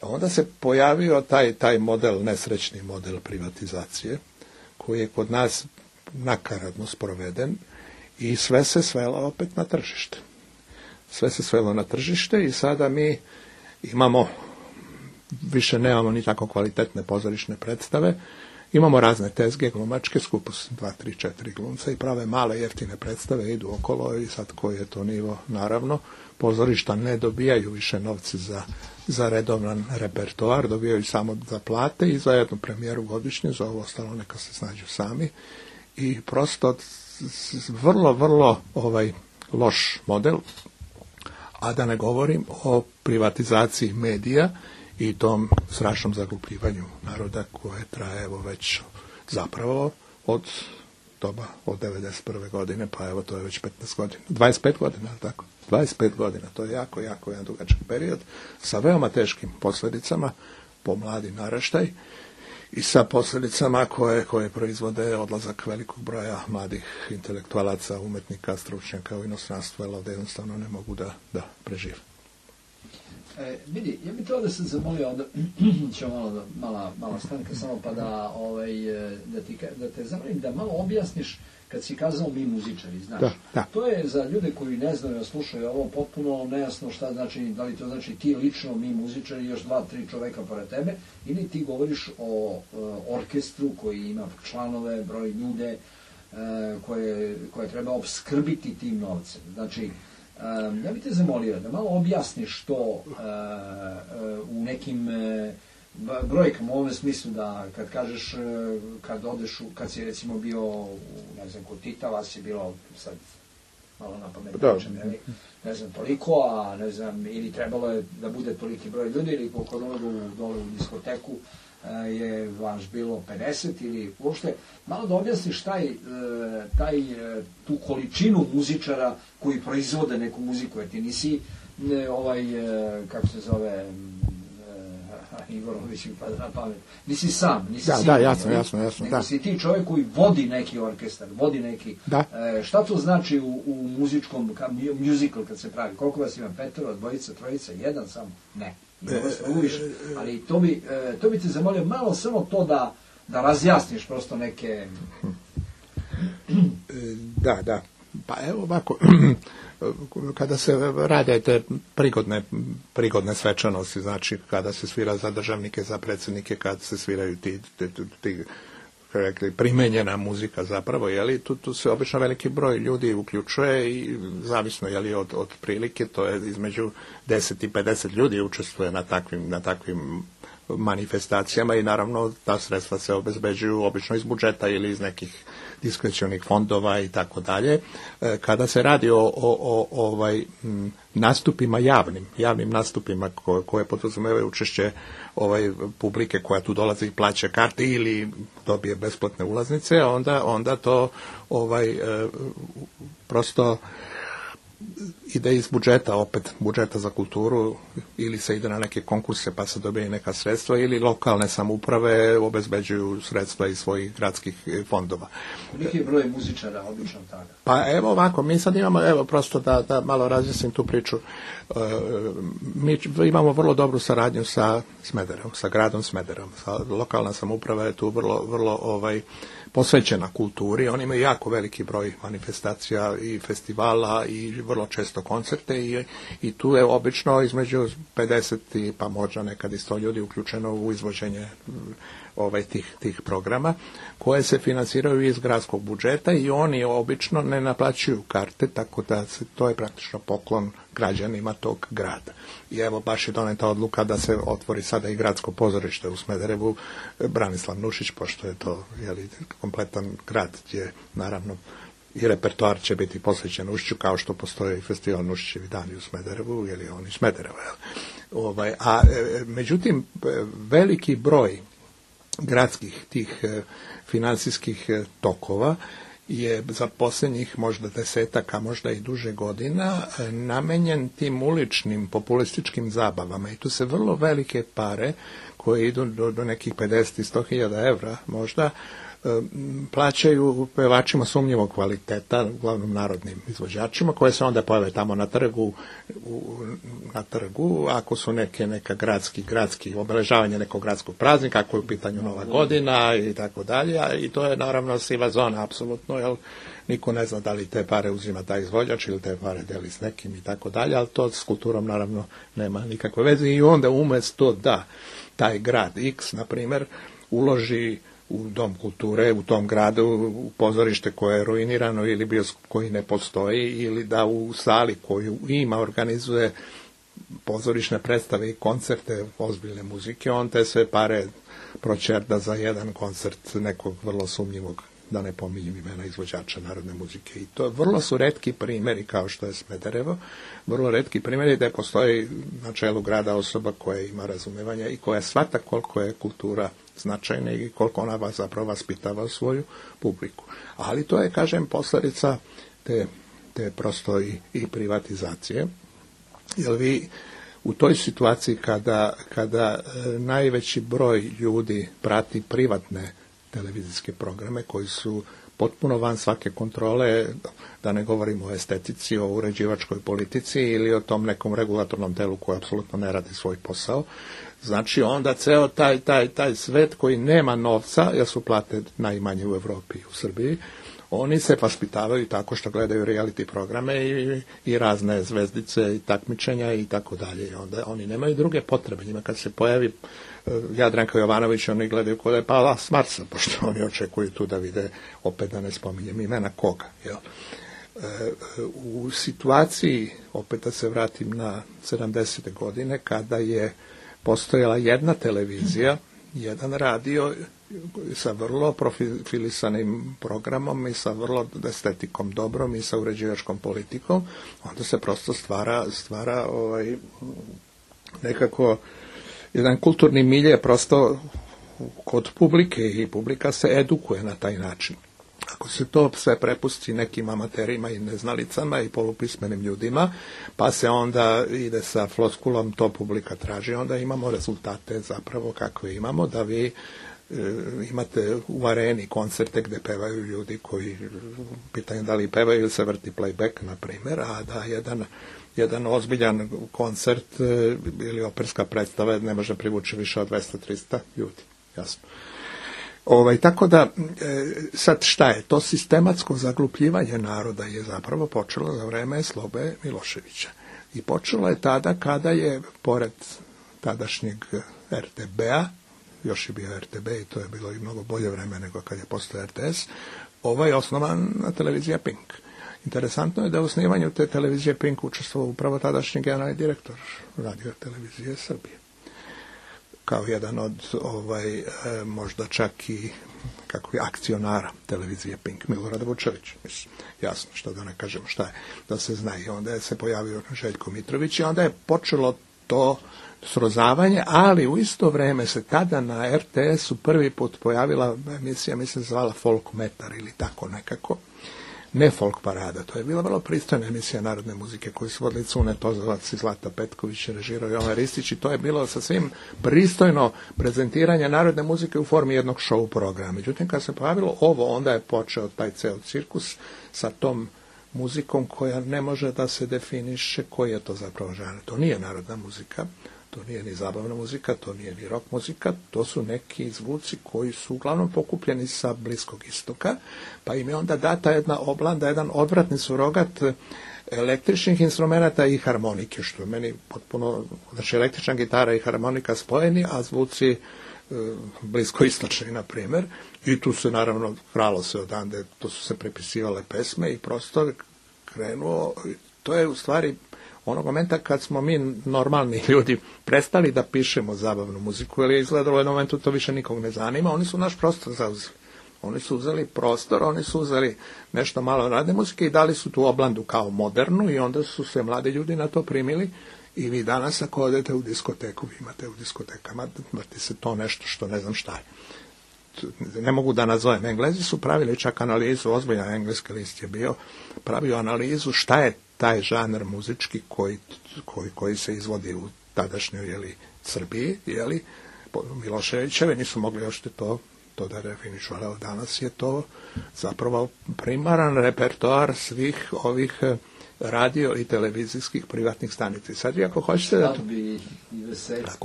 Onda se pojavio taj model, nesrećni model privatizacije, koji je kod nas nakaradno sproveden i sve se svelo opet na tržište. Sve se svelo na tržište i sada mi više nemamo ni tako kvalitetne pozorišne predstave, imamo razne tezge glumačke, skupo 2, 3, 4 glumca i prave male jeftine predstave, idu okolo i sad koji je to nivo, naravno, pozorišta ne dobijaju više novce za redovan repertoar, dobijaju samo za plate i za jednu premijeru godišnje, za ovo ostalo neka se snađu sami i prosto vrlo, vrlo loš model, a da ne govorim o privatizaciji medija i tom strašnom zaglupljivanju naroda koje traje već zapravo od 91. godine, pa evo to je već 15 godina, 25 godina, tako? 25 godina, to je jako, jako jedan dugačak period sa veoma teškim posljedicama po mladi naraštaj i sa posljedicama koje proizvode odlazak velikog broja mladih intelektualaca, umetnika, stručnjaka u inostranstvo, jer ovdje jednostavno ne mogu da prežive. Vidi, ja bih to da se zamolio, onda ćemo mala stanka samo pa da te zamolim da malo objasniš kad si kazao mi muzičari, znaš. Da. To je za ljude koji ne znaju, slušaju ovo potpuno nejasno šta znači, da li to znači ti lično, mi muzičari, još 2-3 čoveka pored tebe, ili ti govoriš o orkestru koji ima članove, broj ljude koje treba opskrbiti tim novcem. Znači, ja bih te zamolio da malo objasniš to u nekim brojkama, u ovom smislu da kad kažeš, kad si recimo bio, ne znam, kod Tita, vas je bilo sad malo na pamet, ne znam, toliko, a ne znam, ili trebalo je da bude toliki broj ljudi, ili koliko dole u diskoteku je vaš bilo 50 ili uopšte, malo da objasniš tu količinu muzičara koji proizvode neku muziku, jer ti nisi kako se zove Ivorović mi pada na pamet, nisi sam, nisi jasno, nego si ti čovjek koji vodi neki orkestar, vodi neki, šta to znači u muzičkom, musical kad se pravi, koliko vas ima, 5, 2, 3, 1 samo, ne. Ali to bi te zamolio malo samo to da razjasniš prosto neke... Da. Pa evo ovako, kada se rade te prigodne svečanosti, znači kada se svira za državnike, za predsjednike, kada se sviraju ti primenjena muzika zapravo, tu se obično veliki broj ljudi uključuje i zavisno od prilike, to je između 10 i 50 ljudi učestvuje na takvim manifestacijama i naravno ta sredstva se obezbeđuju obično iz budžeta ili iz nekih diskrecionih fondova i tako dalje. Kada se radi o nastupima javnim nastupima koje podrazumevaju učešće publike koja tu dolazi i plaća karte ili dobije besplatne ulaznice, onda to prosto ide iz budžeta, opet budžeta za kulturu, ili se ide na neke konkurse pa se dobije neka sredstva, ili lokalne samouprave obezbeđuju sredstva iz svojih gradskih fondova. Koliki je broj muzičara obično tada? Pa evo ovako, mi sad imamo, prosto da malo razjasnim tu priču, mi imamo vrlo dobru saradnju sa Smederevom, sa gradom Smederevom. Lokalna samouprava je tu vrlo posvećena kulturi, oni imaju jako veliki broj manifestacija i festivala i vrlo često koncerte i tu je obično između 50 i pa možda nekad i 100 ljudi uključeno u izvođenje tih programa koje se financiraju iz gradskog budžeta i oni obično ne naplaćuju karte, tako da to je praktično poklon građanima tog grada. I evo baš je doneta odluka da se otvori sada i gradsko pozorište u Smederevu, Branislav Nušić, pošto je to kompletan grad gdje naravno i repertoar će biti posvećen Nušiću, kao što postoje i festival Nušićevi dani u Smederevu, ili on iz Smedereva. Međutim, veliki broj gradskih tih financijskih tokova je za posljednjih možda 10-ak, a možda i duže godina namenjen tim uličnim populističkim zabavama i tu se vrlo velike pare koje idu do nekih 50 i 100.000 evra možda plaćaju pevačima sumnjivog kvaliteta, uglavnom narodnim izvođačima, koje se onda pojave tamo na trgu, ako su neka gradski obeležavanje nekog gradskog praznika, ako je u pitanju Nova godina i tako dalje, i to je naravno siva zona, apsolutno, jer niko ne zna da li te pare uzima taj izvođač ili te pare deli s nekim i tako dalje, ali to s kulturom naravno nema nikakve veze i onda umjesto da taj grad X, na primjer, uloži u dom kulture, u tom gradu, u pozorište koje je ruinirano ili bioskop koji ne postoji, ili da u sali koju ima organizuje pozorišne predstave i koncerte ozbiljne muzike, on te sve pare pročerda za jedan koncert nekog vrlo sumnjivog, da ne pominjem imena izvođača narodne muzike. I to vrlo su retki primjeri, kao što je Smederevo, vrlo retki primjeri da postoji na čelu grada osoba koja ima razumevanja i koja shvata koliko je kultura značajna i koliko ona zapravo vaspitava svoju publiku. Ali to je, kažem, posljedica te prosto i privatizacije. Jer vi u toj situaciji kada najveći broj ljudi prati privatne televizijske programe koji su potpuno van svake kontrole, da ne govorimo o estetici, o uređivačkoj politici ili o tom nekom regulatornom telu koji apsolutno ne radi svoj posao. Znači onda ceo taj svet koji nema novca, jer su plate najmanje u Europi i u Srbiji, oni se vaspitavaju tako što gledaju reality programe i razne zvezdice i takmičenja i tako dalje. Onda oni nemaju druge potrebe. Njima kad se pojavi Jadranka Jovanović, oni gledaju kod je pala s Marsa, pošto oni očekuju tu da vide, opet da ne spominjem imena koga. Jel? U situaciji, opet da se vratim na 70. godine, kada je postojala jedna televizija, jedan radio sa vrlo profilisanim programom i sa vrlo estetikom dobrom i sa uređivačkom politikom, onda se prosto stvara nekako jedan kulturni milje prosto kod publike i publika se edukuje na taj način. Ako se to sve prepusti nekim amaterima i neznalicama i polupismenim ljudima, pa se onda ide sa floskulom, to publika traži, onda imamo rezultate zapravo kakve imamo, da vi imate u areni koncerte gde pevaju ljudi koji pitaju da li pevaju ili se vrti playback, na primjer, a da jedan ozbiljan koncert ili operska predstava ne može privući više od 200-300 ljudi, jasno. Tako da, sad šta je? To sistematsko zaglupljivanje naroda je zapravo počelo za vreme Slobe Miloševića. I počelo je tada kada je, pored tadašnjeg RTB-a, još je bio RTB i to je bilo i mnogo bolje vreme nego kad je postao RTS, osnovana televizija Pink. Interesantno je da u osnivanju te televizije Pink učestvovao upravo tadašnji generalni direktor Radio televizije Srbije. Kao jedan od možda čak i akcionara televizije Pink, Milorad Vučević. Mislim, jasno, što da ne kažemo šta je, da se zna. I onda je se pojavio Željko Mitrović i onda je počelo to srozavanje, ali u isto vreme se tada na RTS-u prvi put pojavila emisija, mislim se zvala Folk Metar ili tako nekako, ne Folk Parada. To je bila vrlo pristojna emisija narodne muzike koju su vodili Cune Tozovac i Zlata Petković, režirao Jovan Ristić, i to je bilo sasvim pristojno prezentiranje narodne muzike u formi jednog show programa. Međutim, kad se pojavilo ovo, onda je počeo taj ceo cirkus sa tom muzikom koja ne može da se definiše koji je to zapravo žanr. To nije narodna muzika, to nije ni zabavna muzika, to nije ni rock muzika, to su neki zvuci koji su uglavnom pokupljeni sa Bliskog istoka, pa im je onda data jedna oblanda, jedan odvratni surogat električnih instrumenta i harmonike, što je meni potpuno, znači električna gitara i harmonika spojeni, a zvuci bliskoistočni, na primjer, i tu se naravno kralo se odande, to su se prepisivale pesme i prosto krenuo, to je u stvari onog momenta kad smo mi normalni ljudi prestali da pišemo zabavnu muziku, jer je izgledalo u jednom momentu to više nikog ne zanima, oni su naš prostor zauzeli. Oni su uzeli prostor, oni su uzeli nešto malo radne muzike i dali su tu oblandu kao modernu i onda su se mladi ljudi na to primili i vi danas ako odete u diskoteku, vi imate u diskotekama, vrti se to nešto što ne znam šta je. Ne mogu da nazovem. Englezi su pravili čak analizu, ozbiljan engleski list je bio, pravio analizu šta je taj žanr muzički koji se izvodi u tadašnjoj Srbiji, Miloševićeve, nisu mogli još to to da definišu, ali danas je to zapravo primaran repertoar svih ovih radio i televizijskih privatnih stanica. Sad vi ako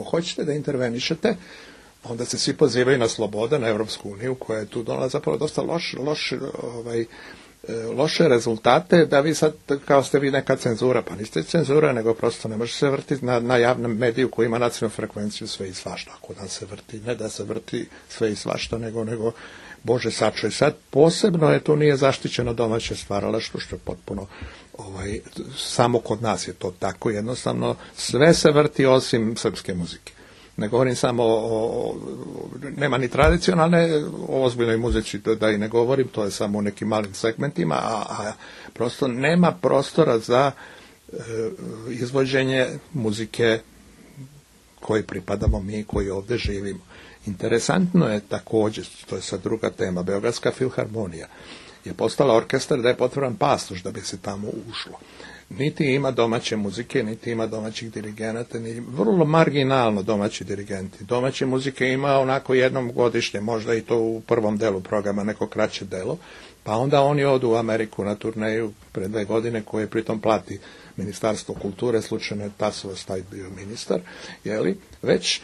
hoćete da intervenišete, onda se svi pozivaju na slobodu, na Evropsku uniju, koja je tu donala zapravo dosta loše rezultate, da vi sad, kao ste vi neka cenzura, pa niste cenzura, nego prosto ne može se vrtiti na javnom mediju koji ima nacionalnu frekvenciju sve i svašta. Ako da se vrti, ne da se vrti sve i svašta, nego Bože sačuvaj. Sad posebno je tu nije zaštićeno domaće stvaralaštvo, što je potpuno samo kod nas je to tako, jednostavno sve se vrti osim srpske muzike. Ne govorim samo nema ni tradicionalne, o ozbiljnoj muzici da i ne govorim, to je samo u nekim malim segmentima, a prosto nema prostora za izvođenje muzike koji pripadamo mi, koji ovdje živimo. Interesantno je također, to je sad druga tema, Beogradska filharmonija je postala orkestar da je potvoran pasoš da bi se tamo ušlo. Niti ima domaće muzike, niti ima domaćih dirigenata, ni vrlo marginalno domaći dirigenti. Domaće muzike ima onako jednom godišnje, možda i to u prvom delu programa, neko kraće delo, pa onda oni odu u Ameriku na turneju pre 2 godine, koje pritom plati Ministarstvo kulture, slučajno je Tasovac taj bio ministar, već,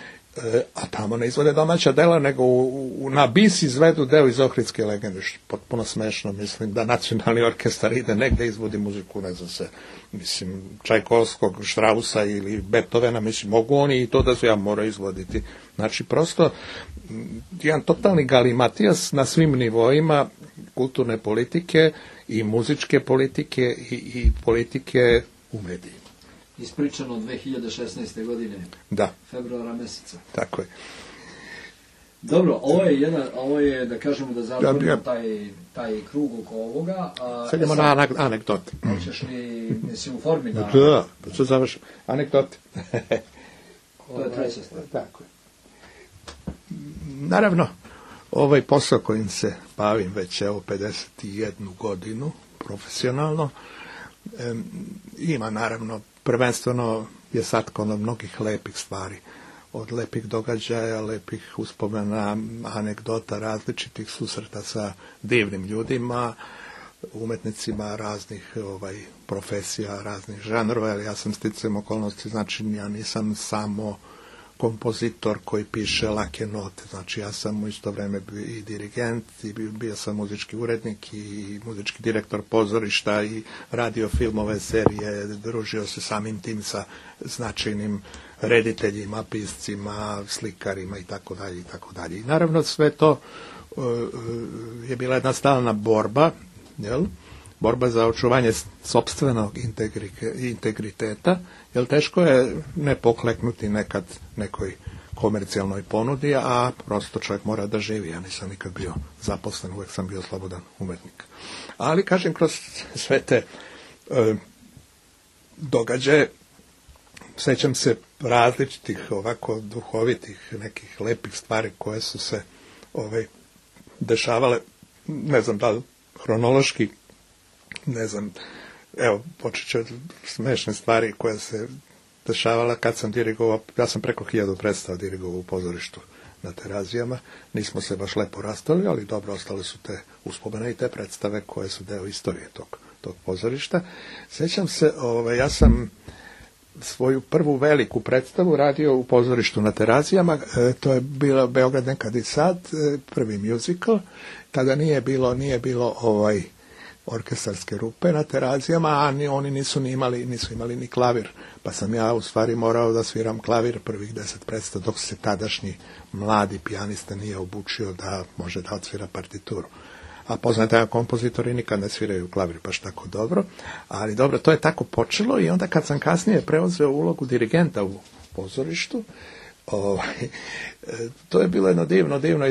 a tamo ne izvode domaća dela, nego na bis izvedu deo iz Ohridske legende, što je potpuno smešno, mislim da nacionalni orkestar ide negde izvodi muziku, ne znam se, mislim, Čajkovskog, Štrausa ili Beethovena, mislim, mogu oni i to da su ja moraju izvoditi. Znači, prosto, jedan totalni galimatijas na svim nivoima kulturne politike i muzičke politike i politike u medijima. Ispričano 2016. godine. Da. Februara meseca. Tako je. Dobro, ovo je da kažemo da zatvorimo taj krug oko ovoga. Sad idemo na anegdote. Hoćeš li, mislim, u formi da... Da, sad završim. Anegdote. To je treća stvar. Tako je. Naravno, ovaj posao kojim se bavim već 51 godinu profesionalno, ima naravno, prvenstveno je satkano mnogih lepih stvari, od lepih događaja, lepih uspomena, anegdota, različitih susreta sa divnim ljudima, umetnicima raznih profesija, raznih žanrova, ali ja sam sticajem okolnosti, znači ja nisam samo kompozitor koji piše lake note, znači ja sam u isto vreme i dirigent, i bio sam muzički urednik i muzički direktor pozorišta i radio filmove, serije, družio se samim tim sa značajnim rediteljima, piscima, slikarima i tako dalje i tako dalje. I naravno sve to je bila jedna stalna borba, borba za očuvanje sopstvenog integriteta, jer teško je ne pokleknuti nekad nekoj komercijalnoj ponudi, a prosto čovjek mora da živi. Ja nisam nikad bio zaposlen, uvijek sam bio slobodan umetnik. Ali, kažem, kroz sve te događaje sećam se različitih ovako duhovitih nekih lepih stvari koje su se dešavale, ne znam da li hronološki, ne znam, evo, počet ću od smešne stvari koje se dešavala kad sam dirigovao, ja sam preko 1000 predstava dirigovao u pozorištu na Terazijama, nismo se baš lepo rastali, ali dobro, ostale su te uspomene i te predstave koje su deo istorije tog pozorišta. Sećam se, ja sam svoju prvu veliku predstavu radio u pozorištu na Terazijama, to je bilo Beograd nekad i sad, prvi musical, tada nije bilo orkestarske rupe na Terazijama, a oni nisu imali ni klavir, pa sam ja u stvari morao da sviram klavir prvih 10 predstava, dok se tadašnji mladi pijanista nije obučio da može da odsvira partituru. A poznate kompozitori nikad ne sviraju klavir baš tako dobro, ali dobro, to je tako počelo i onda kad sam kasnije preuzeo ulogu dirigenta u pozorištu, to je bilo jedno divno divno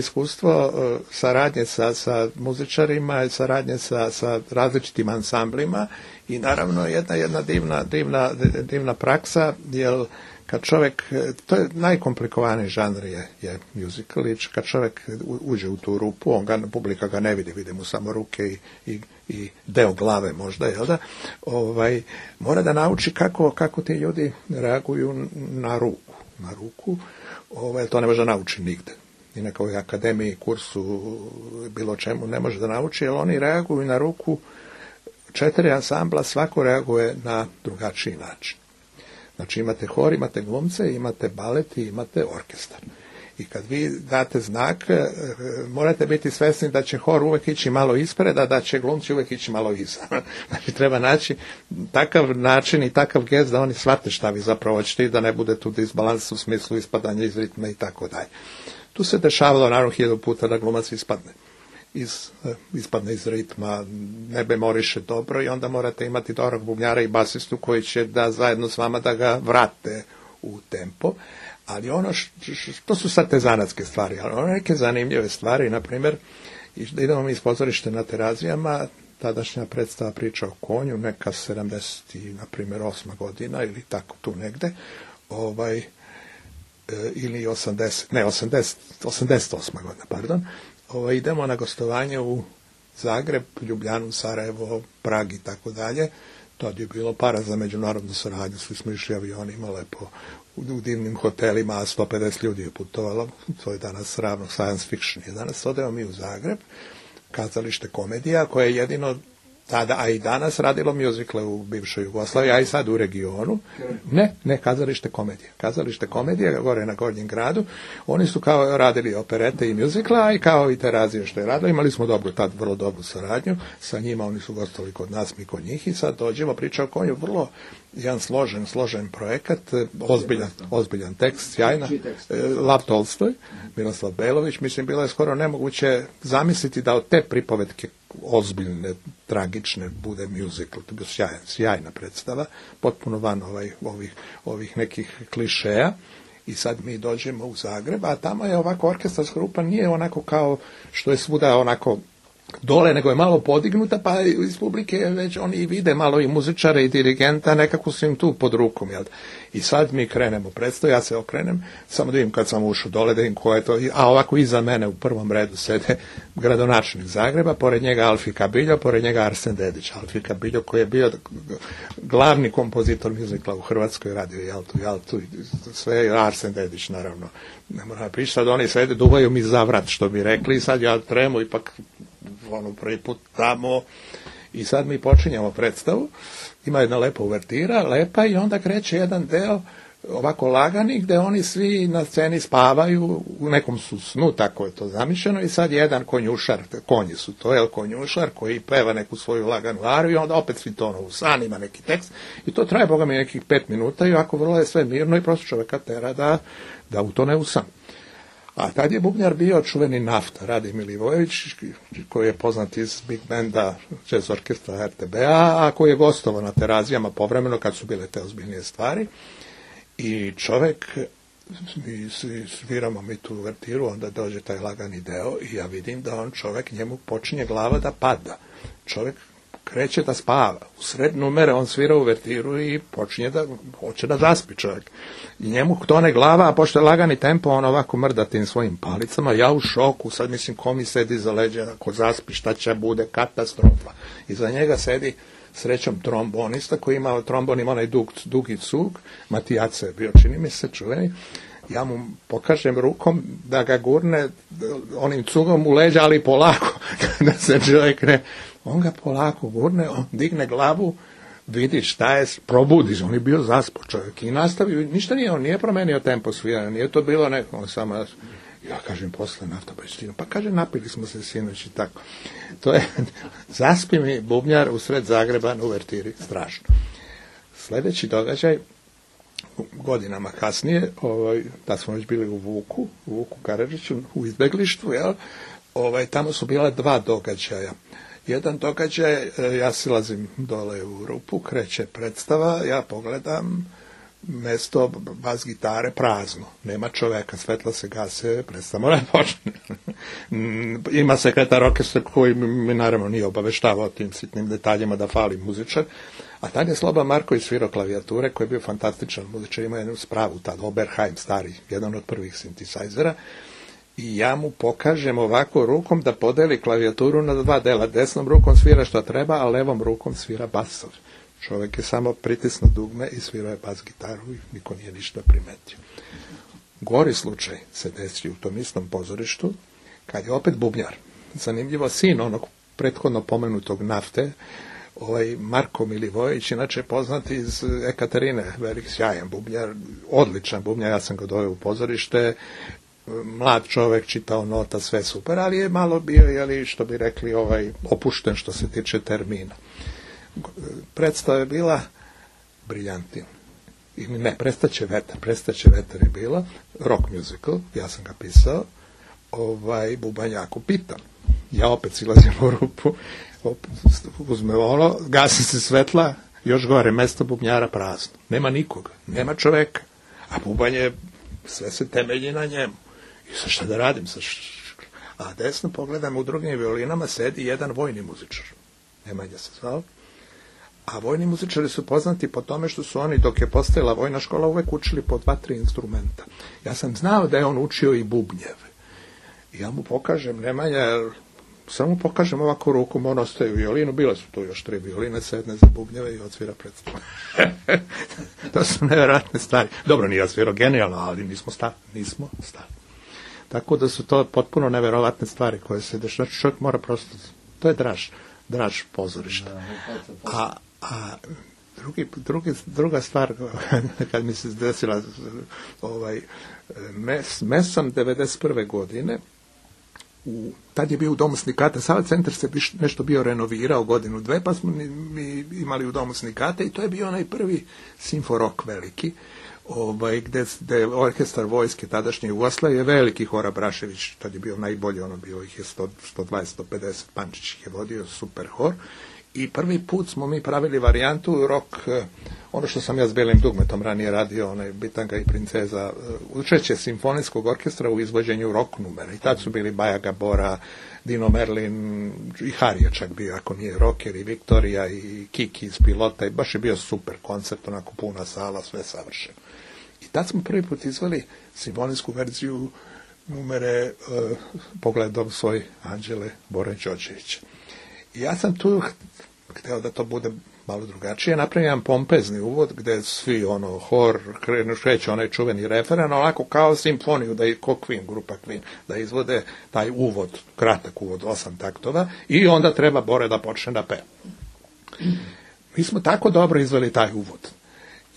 saradnje sa muzičarima, saradnje sa različitim ansamblima i naravno jedna divna praksa, jer kad čovjek, to je najkomplikovaniji žanr je musical, i kad čovjek uđe u tu rupu, publika ga ne vidi mu samo ruke i deo glave možda, jel da, mora da nauči kako ti ljudi reaguju na ruku, to ne može nauči nigde. i nekoj akademiji, kursu, bilo čemu ne može da nauči, jer oni reaguju na ruku 4 ansambla, svako reaguje na drugačiji način. Znači imate hor, imate glumce, imate balet i imate orkestar. I kad vi date znak, morate biti svesni da će hor uvek ići malo ispred, a da će glumci uvek ići malo iza. Znači treba naći takav način i takav gest da oni shvate šta vi zapravo hoćete i da ne bude tu disbalans u smislu ispadanja iz ritma i tako dalje. Tu se dešavalo naravno 1000 puta da glumac ispadne iz ritma, ne memoriše dobro i onda morate imati dobrog bubnjara i basistu koji će da zajedno s vama da ga vrate u tempo. Ali to su sad te zanatske stvari, ali ono neke zanimljive stvari, na primjer, idemo mi iz pozorište na Terazijama, tadašnja predstava Priča o konju, neka 70, na primjer, 8. godina ili tako tu negde, ili 88. godina, pardon, idemo na gostovanje u Zagreb, Ljubljanu, Sarajevo, Prag i tako dalje. Tad je bilo para za međunarodnu saradnju, svi smo išli avionima lepo u divnim hotelima, a 150 ljudi je putovalo, to je danas ravno science fiction. I danas odemo mi u Zagreb, kazalište Komedija, koje je jedino tada, a i danas radilo mjuzikle u bivšoj Jugoslaviji, a i sad u regionu. Ne, kazalište Komedija. Kazalište Komedija, gore na Gornjem gradu. Oni su kao radili operete i mjuzikla, a i kao i Terazije što je radila. Imali smo tad vrlo dobru saradnju sa njima, oni su gostovali kod nas, mi kod njih i sad dođemo, Priča o konju, vrlo jedan složen projekat, ozbiljan tekst, sjajna. Lav Tolstoj, Miroslav Belović, mislim, bilo je skoro nemoguće zamisliti da od te pripovetke ozbiljne, tragične, bude musical. To je bio sjajna predstava, potpuno van ovih nekih klišeja. I sad mi dođemo u Zagreb, a tamo je ovako orkestarska grupa, nije onako kao što je svuda onako dole, nego je malo podignuta, pa iz publike već oni vide malo i muzičare i dirigenta, nekako su im tu pod rukom. Jel? I sad mi krenemo predstavu, ja se okrenem, samo da vidim kad sam ušao dole, da vidim ko je to, a ovako iza mene u prvom redu sede gradonačelnik Zagreba, pored njega Alfi Kabiljo, pored njega Arsen Dedić. Alfi Kabiljo koji je bio glavni kompozitor muzikla u Hrvatskoj, radio Jaltu i sve, Arsen Dedić naravno. Ne moram pričati, sad oni sede, duvaju mi za vrat, što bi rekli, i sad ja tremu ipak prvi put tamo i sad mi počinjemo predstavu, ima jedna lepa uvertira, lepa, i onda kreće jedan deo ovako lagani gde oni svi na sceni spavaju, u nekom su snu, tako je to zamišljeno, i sad jedan konjušar, konji su to, konjušar koji peva neku svoju laganu ariju i onda opet svi tonu u san, ima neki tekst i to traje, boga mi, nekih 5 minuta i ovako vrlo je sve mirno i prosto čoveka tera da utone u san. A tad je bubnjar bio čuveni Nafta, Radi Milivojević, koji je poznat iz Big Banda, jazz orkestra RTB-a, a koji je gostovao na Terazijama povremeno kad su bile te ozbiljnije stvari. I čovek, mi sviramo mi tu uvertiru, onda dođe taj lagani deo i ja vidim da čovek, njemu počinje glava da pada. Čovek kreće da spava. U sred numere on svira uvertiru i počinje hoće da zaspi čovjek. I njemu tone glava, a pošto je lagani tempo, on ovako mrda tim svojim palicama, ja u šoku, sad mislim ko mi sedi za leđa, ako zaspi, šta će bude, katastrofa. Iza njega sedi srećom trombonista koji ima trombon, ima onaj dugi cug, Matijaca je bio, čini mi se, čuveni. Ja mu pokažem rukom da ga gurne onim cugom u leđa, ali polako, da se čovjek on ga polako gurne, on digne glavu, vidi šta je, probudi, on je bio zaspo čovjek i nastavio, ništa nije, on nije promenio tempo sviranja, nije to bilo neko, on samo, ja kažem posle Nafta, pa kaže napili smo se sinoć i tako. To je, zaspi mi bubnjar usred Zagreba na uvertiri, strašno. Sljedeći događaj, godinama kasnije, da smo već bili u Vuku Karadžiću, u izbeglištvu, jel? Tamo su bila 2 događaja. Jedan događaj, ja silazim dole u rupu, kreće predstava, ja pogledam, mesto bas gitare prazno, nema čoveka, svetla se gase, predstava mora počne. Ima sekretar orkestra koji mi naravno nije obaveštavao o tim sitnim detaljima da fali muzičar, a tad je Sloba Marković svirao klavijature, koji je bio fantastičan muzičar, ima jednu spravu, tad Oberheim stari, jedan od prvih sintisajzera, i ja mu pokažem ovako rukom da podeli klavijaturu na 2 dela. Desnom rukom svira što treba, a levom rukom svira basov. Čovjek je samo pritisnuo dugme i svirao je bas gitaru i niko nije ništa primetio. Gori slučaj se desio u tom istom pozorištu, kad je opet bubnjar. Zanimljivo, sin onog prethodno pomenutog Nafte, Marko Milivojević, inače poznat iz Ekaterine, velik sjajan bubnjar, odličan bubnjar, ja sam ga doveo u pozorište, mlad čovek, čitao nota, sve super, ali je malo bio, što bi rekli, opušten što se tiče termina. Predstava je bila briljantina. Ne, Prestaće vetar je bila, rock musical, ja sam ga pisao, bubanj jako pitan. Ja opet silazim u rupu, uzme gasi se svetla, još gore, mesto bubnjara prazno. Nema nikoga, nema čoveka, a bubanj je, sve se temelji na njemu. I sad šta da radim? A desno pogledam, u drugim violinama sedi jedan vojni muzičar. Nemanja se zvao. A vojni muzičari su poznati po tome što su oni, dok je postojala vojna škola, uvek učili po 2-3 instrumenta. Ja sam znao da je on učio i bubnjeve. I ja mu pokažem, Nemanja, samo mu pokažem ovako rukom, on ostaje u violinu, bile su tu još 3 violine, sedne za bubnjeve i odsvira predstavu. To su nevjerojatne stvari. Dobro, nije odsvirao genijalno, ali nismo stali. Tako da su to potpuno nevjerojatne stvari koje se dešavaju. Znači čovjek mora prosto, to je draž pozorišta. A druga stvar, kad mi se desila mesom 91. godine, tad je bio u Domu sindikata, Sava centar se nešto bio renovirao godinu, dve, pa smo mi imali u Domu sindikata i to je bio onaj prvi simforok veliki, gde je orkestar vojske tadašnje Jugoslavije, veliki Hora Brašević, tad je bio najbolji, bio ih je 120-150, Pančić ih je vodio, super hor. I prvi put smo mi pravili varijantu rock, ono što sam ja s Belim dugmetom ranije radio, Bitanga i princeza, učešće simfonijskog orkestra u izvođenju rock numera. I tad su bili Baja Gabora, Dino Merlin, i Harija čak bio, ako nije rocker, i Viktorija, i Kiki iz Pilota, i baš je bio super koncert, onako puna sala, sve savršeno. I tad smo prvi put izveli simfonijsku verziju numere Pogledom svoj Anđele Bore Đorđevića. I ja sam tu hteo da to bude malo drugačije, napravim jedan pompezni uvod gde svi hor, kreće onaj čuveni referen, onako kao simfoniju, ko Queen, grupa Queen, da izvode taj uvod, kratak uvod, 8 taktova, i onda treba Bore da počne da peva. Mi smo tako dobro izveli taj uvod.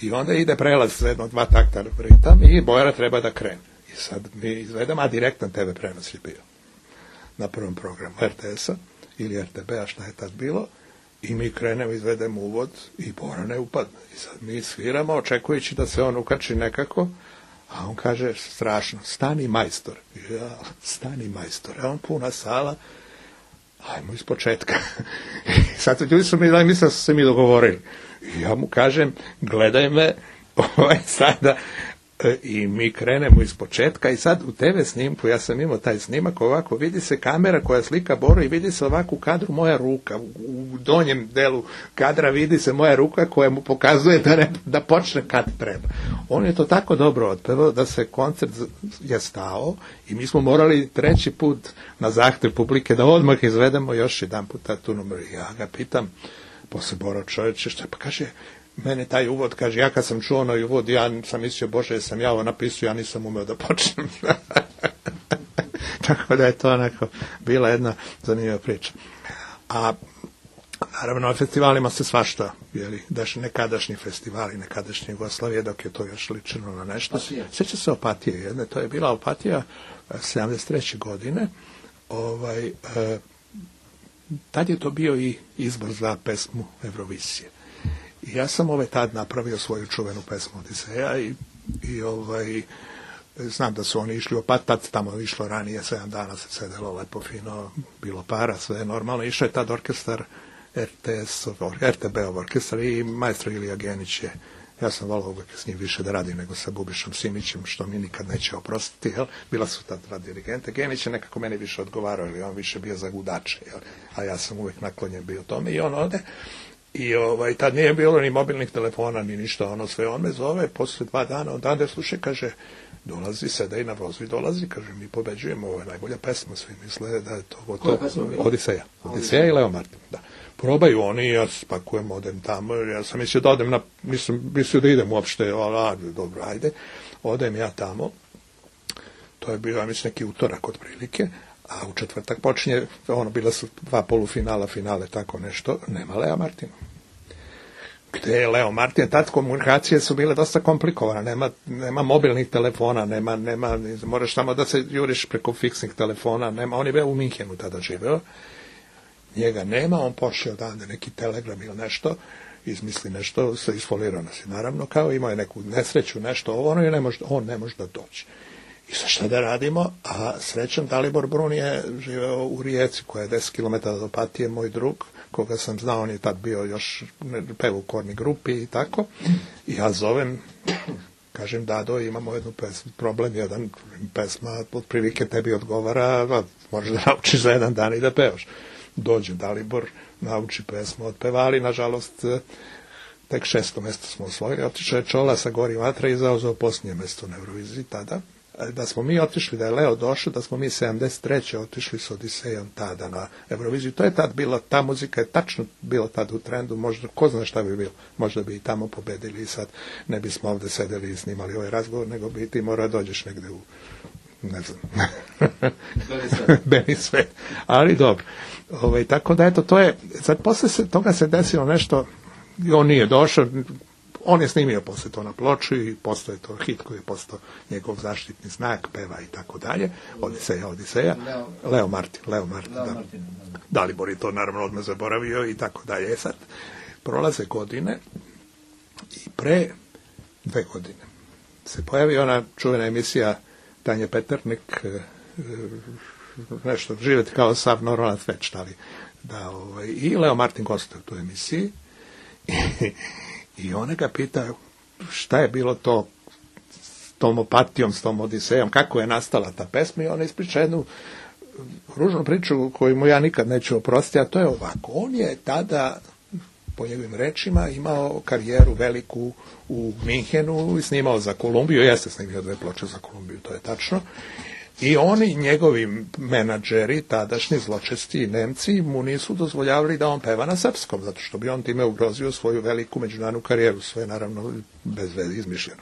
I onda ide prelaz 1-2 takta ritam i Bora treba da krene. I sad mi izvedemo, a direktan TV prenos je bio na prvom programu RTS-a ili RTB-a, šta je tad bilo, i mi krenemo, izvedemo uvod i Bora ne upadne. I sad mi sviramo, očekujući da se on ukači nekako, a on kaže strašno, stani majstor. Ja, stani majstor. A on puna sala, ajmo iz početka. I sad ljudi su mi dali, mislim da su se mi dogovorili. I ja mu kažem, gledaj me, sada, i mi krenemo iz početka i sad u TV snimku, ja sam imao taj snimak, ovako vidi se kamera koja slika Boru i vidi se ovako u kadru moja ruka, u donjem delu kadra vidi se moja ruka koja mu pokazuje da počne kad treba. On je to tako dobro otpevao da se koncert je stao i mi smo morali 3. put na zahtev publike da odmah izvedemo još jedan puta tu numeru. Ja ga pitam, posle Bora čovječe, šta pa kaže, mene taj uvod, kaže, ja kad sam čuo onaj uvod, ja sam mislio, Bože, sam ja ovo napisao, ja nisam umeo da počnem. Tako da je to onako bila jedna zanimljiva priča. A naravno, na festivalima se svašta, nekadašnji festivali, nekadašnje Jugoslavije, dok je to još ličeno na nešto. Sjeća se Opatije jedne, to je bila Opatija 73. godine, tad je to bio i izbor za pesmu Evrovisije. I ja sam tad napravio svoju čuvenu pesmu Odiseja i znam da su oni išli u tad tamo je išlo ranije, 7 dana se sedelo lepo fino, bilo para, sve je normalno. Išao je tad orkestar RTB-ov orkestar i maestro Ilija Genić je, ja sam volao uvek s njim više da radim nego sa Bubišom Simićem, što mi nikad neće oprostiti, bila su tad dva dirigente. Genić je nekako meni više odgovarao, jer on više bio za gudače, a ja sam uvek naklonjen bio tome i on ode. I tad nije bilo ni mobilnih telefona, ni ništa, sve on me zove, posle 2 dana, odande slušaj, kaže, dolazi, sedaj na vozu i dolazi, kaže, mi pobeđujemo, ovo je najbolja pesma, svi misle da je to Odiseja. Odiseja i Leo Martin, da. Probaju oni, ja spakujem, odem tamo, ja sam mislio da odem nisam mislio da idem uopšte, dobro, ajde, odem ja tamo To je bio, ja mislim, neki utorak otprilike, a u četvrtak počinje, bila su 2 polufinala, finale, tako nešto, nema Lea Martina. Gde je Leo Martin? Tad komunikacije su bile dosta komplikovane, nema mobilnih telefona, nema, moraš samo da se juriš preko fiksnih telefona, on je bio u Minhenu tada živeo, njega nema, on pošao odande neki telegram ili nešto, izmisli nešto, se isfolirao nas, naravno, kao imao je neku nesreću, nešto ono, i on ne može da doći. I sa šta da radimo? A srećan Dalibor Brun je živeo u Rijeci, koja je 10 km od Opatije, moj drug, koga sam znao, on je tad bio još pevo u Korni grupi i tako. I ja zovem, kažem, Dado, imamo jednu problem, jedan pesma, otprilike tebi odgovara, možeš da naučiš za jedan dan i da pevaš. Dođe Dalibor, nauči pesmu, otpevali, nažalost, tek 6. mjesto smo osvojili, otišao je Čola sa Gori vatra i zauzeo posljednje mjesto na Euroviziji tada. Da smo mi otišli, da je Leo došao, da smo mi 73. otišli s Odisejom tada na Euroviziju. To je tad bilo, ta muzika je tačno bilo tad u trendu, možda, ko zna šta bi bilo, možda bi i tamo pobedili i sad ne bismo ovdje sedeli i snimali ovaj razgovor, nego bi ti morao dođeš negde u, ne znam, Beni svet. Ali dobro. Tako da, eto, to je, sad posle toga se desilo nešto, i on nije došao, on je snimio posle to na ploču i postoje to hit koji je postao njegov zaštitni znak, peva i tako dalje. Odiseja. Leo Martin. Da. Dalibor je to naravno odmah zaboravio i tako dalje. Sad prolaze godine i pre 2 godine se pojavi ona čuvena emisija Tanje Peternik, nešto, živjeti kao sav normalan sveć, ali da, i Leo Martin gostuje u toj emisiji i ona ga pita šta je bilo to s tom Opatijom, s tom Odisejom, kako je nastala ta pesma, i ona ispriča jednu ružnu priču koju mu ja nikad neću oprostiti, a to je ovako. On je tada, po njegovim rečima, imao karijeru veliku u Minhenu i snimao za Kolumbiju, jeste snimio 2 ploče za Kolumbiju, to je tačno. I oni, njegovi menadžeri, tadašnji zločesti Nemci, mu nisu dozvoljavali da on peva na srpskom, zato što bi on time ugrozio svoju veliku međunarodnu karijeru, svoje naravno bez veze izmišljeno.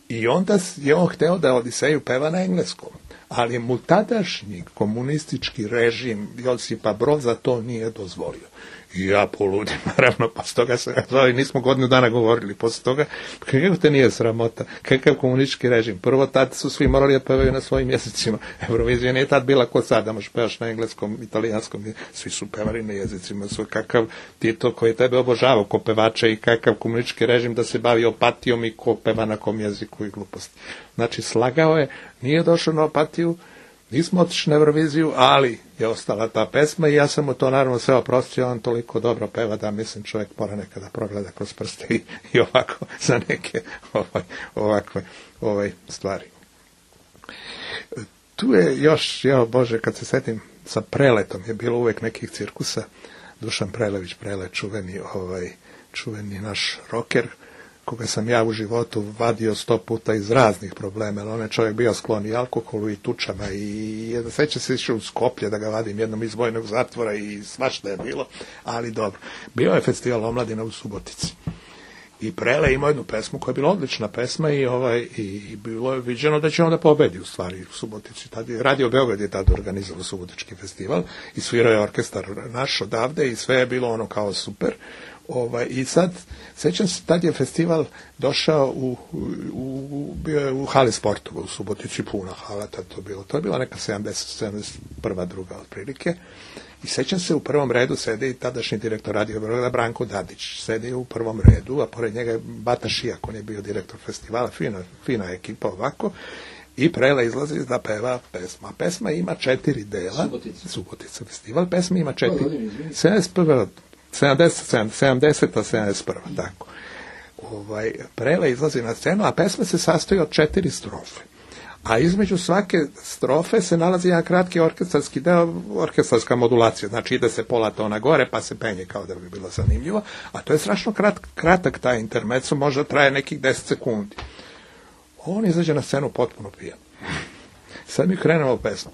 I onda je on hteo da Odiseju peva na engleskom, ali mu tadašnji komunistički režim Josipa Broza to nije dozvolio. I ja poludim, naravno, posle toga se zove, nismo godinu dana govorili, posle toga, kako te nije sramota, kakav komunistički režim. Prvo, tad su svi morali da pevaju na svojim jezicima. Eurovizija nije tad bila kod sada, možeš pevaš na engleskom, italijanskom, svi su pevali na jezicima, kakav Tito koji je tebe obožavao ko pevača i kakav komunistički režim da se bavi Opatijom i ko peva na kom jeziku i gluposti. Znači, slagao je, nije došao na Opatiju, nismo otišli na Euroviziju, ali je ostala ta pesma i ja sam mu to naravno sve oprostio, on toliko dobro peva da mislim čovjek mora nekada progleda kroz prste i ovako za neke ovakve stvari. Tu je još, Bože, kad se setim, sa Preletom je bilo uvek nekih cirkusa, Dušan Prelević, Prele, čuveni naš roker, koga sam ja u životu vadio 100 puta iz raznih problema, ali on je čovjek bio sklon i alkoholu i tučama i sveća se išao u Skoplje da ga vadim jednom iz vojnog zatvora i svašta je bilo, ali dobro. Bio je festival omladina u Subotici i Prele imao jednu pesmu koja je bila odlična pesma i bilo je viđeno da će onda pobedi u stvari u Subotici. Radio Beograd je tada organizovao Subotički festival i svirao je orkestar naš odavde i sve je bilo ono kao super. I sad, sećam se, tad je festival došao bio je u hali sportova u Subotici, puna hala, tad to je bila neka 71. druga otprilike, i sećam se, u prvom redu sedi tadašnji direktor Radio Beograda Branko Dadić, sedi u prvom redu, a pored njega je Bata Šijak, on je bio direktor festivala, fina ekipa ovako, i Prele izlazi da peva pesma. Pesma ima 4 dela, Subotica festival, pesma ima 4, 70-71, tako. Prele izlazi na scenu, a pesma se sastoji od 4 strofe. A između svake strofe se nalazi jedan kratki orkestarski deo, orkestarska modulacija. Znači ide se pola tona gore, pa se penje kao da bi bilo zanimljivo. A to je strašno kratak taj intermezzo, možda traje nekih 10 sekundi. On izađe na scenu potpuno pijan. Sad mi krenemo pesmu.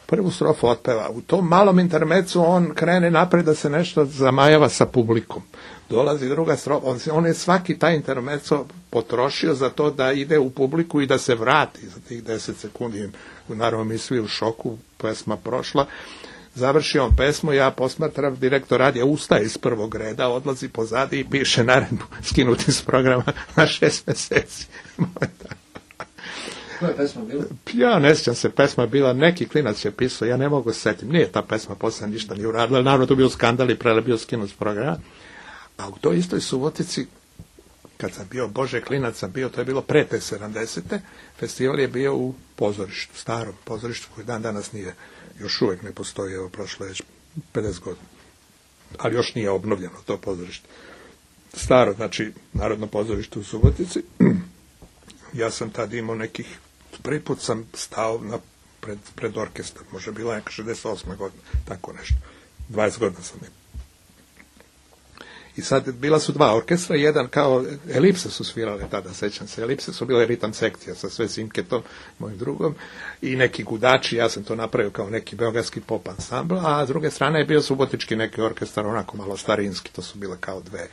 prvu strofu otpeva. U tom malom intermecu on krene napred da se nešto zamajava sa publikom. Dolazi druga strofa, on je svaki taj intermeco potrošio za to da ide u publiku i da se vrati za tih 10 sekundi. Naravno mi svi u šoku, pesma prošla. Završi on pesmu, ja posmatram, direktor radija ustaje iz prvog reda, odlazi pozadi i piše naredbu skinuti s programa na 6 mjeseci. Koja je pesma bila? Ja ne sjećam se, pesma je bila, neki klinac je pisao, ja ne mogu se setiti, nije ta pesma poslije ništa nije uradila, naravno to bio skandal i prele bio skinut s programa. A u toj istoj Subotici, kad sam bio Bože klinac sam bio, to je bilo pre te 70. Festival je bio u pozorištu, starom pozorištu koji dan danas nije, još uvijek ne postoji, evo prošlo je 50 godina. Ali još nije obnovljeno to pozorište. Staro, znači, Narodno pozorište u Subotici. Ja sam tad imao nekih, prvi put sam stao pred orkestar, možda bila neka 68. godina, tako nešto. 20 godina sam imao. I sad bila su dva orkestra, jedan kao Elipse su svirale tada, sećam se. Elipse su bile ritam sekcija sa sve Simketom, mojim drugom, i neki gudači, ja sam to napravio kao neki beogradski pop ansambl, a s druge strane je bio subotički neki orkestar, onako malo starinski, to su bile kao dve.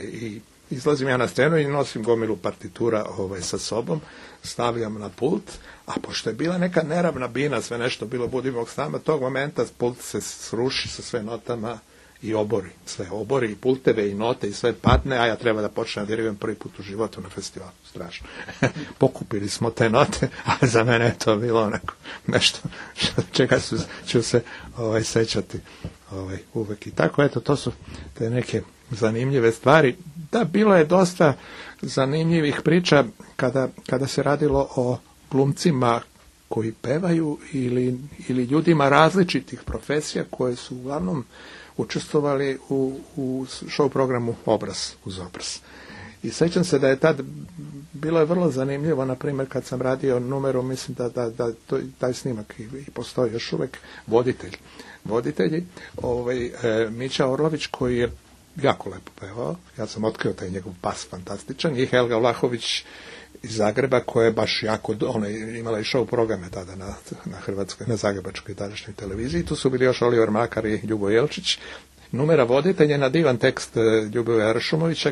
I izlazim ja na scenu i nosim gomilu partitura sa sobom, stavljam na pult, a pošto je bila neka neravna bina, sve nešto bilo budimog stama, tog momenta pult se sruši sa sve notama i obori, sve obori, i pulteve, i note, i sve padne, a ja treba da počnem da dirigiram prvi put u životu na festivalu, strašno. Pokupili smo te note, a za mene je to bilo onako nešto čega ću se sećati uvek. I tako, eto, to su te neke zanimljive stvari. Da, bilo je dosta zanimljivih priča kada se radilo o glumcima koji pevaju ili ljudima različitih profesija koje su uglavnom učestvovali u show programu Obraz uz obraz. I sećam se da je tad bilo je vrlo zanimljivo, na primjer, kad sam radio numeru, mislim da taj snimak i postoji još uvek, voditelji, Mića Orlović, koji je jako lepo pevao, ja sam otkrio taj njegov pas fantastičan, i Helga Vlahović iz Zagreba, koja je baš jako, ona je imala i show programe tada na Hrvatskoj, na zagrebačkoj tadašnjoj televiziji. Tu su bili još Oliver Mlakar i Ljubo Jelčić. Numera voditelj je na divan tekst Ljuboja Ršumovića,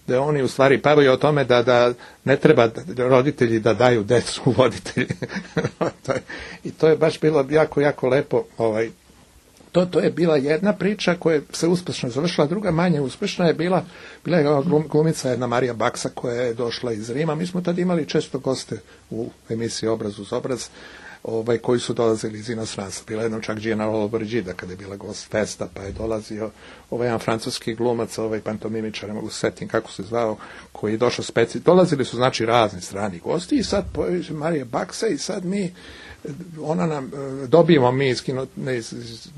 gde oni u stvari pevaju o tome da ne treba roditelji da daju decu voditelji. I to je baš bilo jako, jako lepo. To je bila jedna priča koja se uspešno završila, druga manje uspešna je bila je glumica jedna Marija Baksa koja je došla iz Rima. Mi smo tad imali često goste u emisiji Obraz uz obraz, koji su dolazili iz inostranstva. Bila jednom čak Gina Lollobrigida kada je bila gost Festa, pa je dolazio jedan francuski glumac, pantomimičar, ne mogu se setim kako se zvao, koji je došao dolazili su znači razni strani gosti i sad Marija Baksa i sad dobijemo mi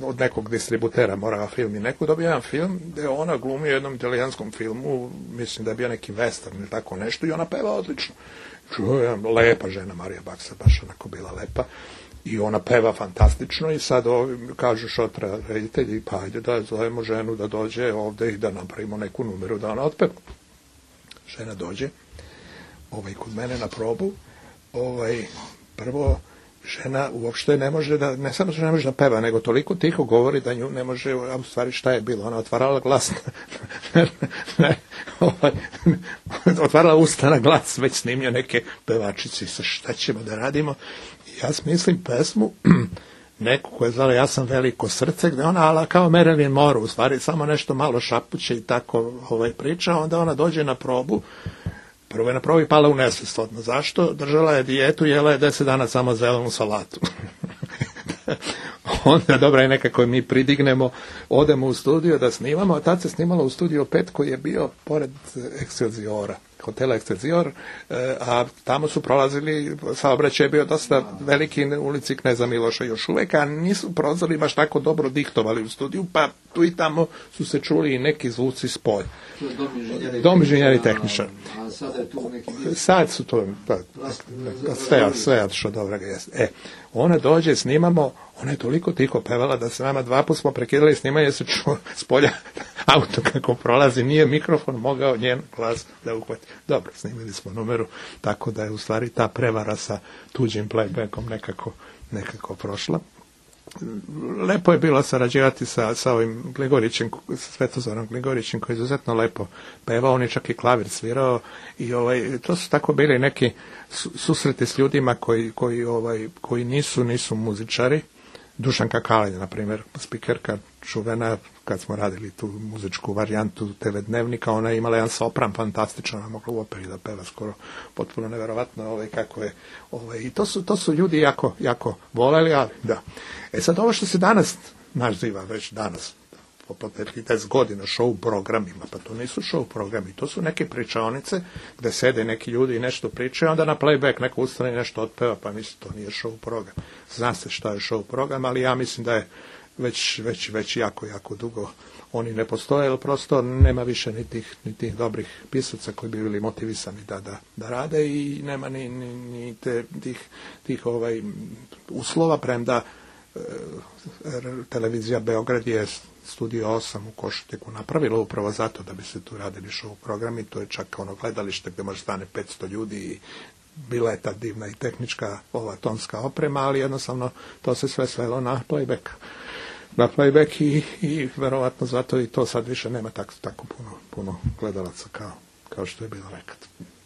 od nekog distributera Morava film i dobije jedan film gde ona glumi u jednom italijanskom filmu, mislim da je bio neki western ili tako nešto, i ona peva odlično. Lepa žena Marija Baksa, baš onako bila lepa, i ona peva fantastično i sad kažu šotra reditelji, pa ajde da zovemo ženu da dođe ovde i da napravimo neku numeru da ona otpeva. Žena dođe kod mene na probu, prvo žena uopšte ne može ne samo što ne može da peva, nego toliko tiho govori da nju ne može, a u stvari šta je bilo? Ona otvarala glas, otvarala usta na glas, već snimio neke pevačice, sa šta ćemo da radimo. I ja smislim pesmu, neku koja je zvala Ja sam veliko srce, gde ona ala kao Marilyn Monroe, u stvari samo nešto malo šapuće i tako priča, onda ona dođe na probu. Prvo je na probi pala u nesvest odmah. Zašto? Držala je dijetu, jela je 10 dana samo zelenu salatu. Onda dobra je nekako mi pridignemo, odemo u studio da snimamo, a tad se snimalo u studiju 5 koji je bio pored Excelsiora, hotela Excelsior, a tamo su prolazili, saobraćaj je bio dosta veliki, ulici Kneza Miloša još uvek, a nisu prozori baš tako dobro diktovali u studiju, pa tu i tamo su se čuli i neki zvuci s polja. Dom inženjera i tehničar. A sada je tu neki... Sad su to, sve što dobro jeste. Ona dođe, snimamo, ona je toliko tiho pevala da se nama 2 puta smo prekidali snimanje, se čuo s polja auto kako prolazi, nije mikrofon mogao njen glas da uhvati. Dobro, snimili smo numeru, tako da je u stvari ta prevara sa tuđim playbackom nekako prošla. Lepo je bilo sarađivati sa ovim Gligorićem, Svetozorom Gligorićem, koji je izuzetno lepo pevao, on je čak i klavir svirao i to su tako bili neki susreti s ljudima koji nisu muzičari. Dušanka Kalin, na primjer, spikerka čuvena, kad smo radili tu muzičku varijantu TV Dnevnika, ona je imala jedan sopran fantastičan, ona mogla u operi da peva skoro potpuno neverovatno kako je. I to su ljudi jako voleli, ali da. Sad ovo što se danas naziva već danas, po 10 godina show programima, pa to nisu show programi, to su neke pričaonice gde sede neki ljudi i nešto pričaju, onda na playback neko ustane i nešto otpeva, pa mislim to nije show program. Zna se šta je show program, ali ja mislim da je već jako dugo oni ne postoje, jer prosto nema više ni tih dobrih pisaca koji bi bili motivisani da rade i nema ni tih uslova, premda televizija Beograd je Studio 8 u Košutiku napravila upravo zato da bi se tu radili show programi. To je čak gledalište gde može stane 500 ljudi i bila je ta divna i tehnička tonska oprema, ali jednostavno to se sve svelo na playback i verovatno zato i to sad više nema tako puno gledalaca kao što je bilo nekad.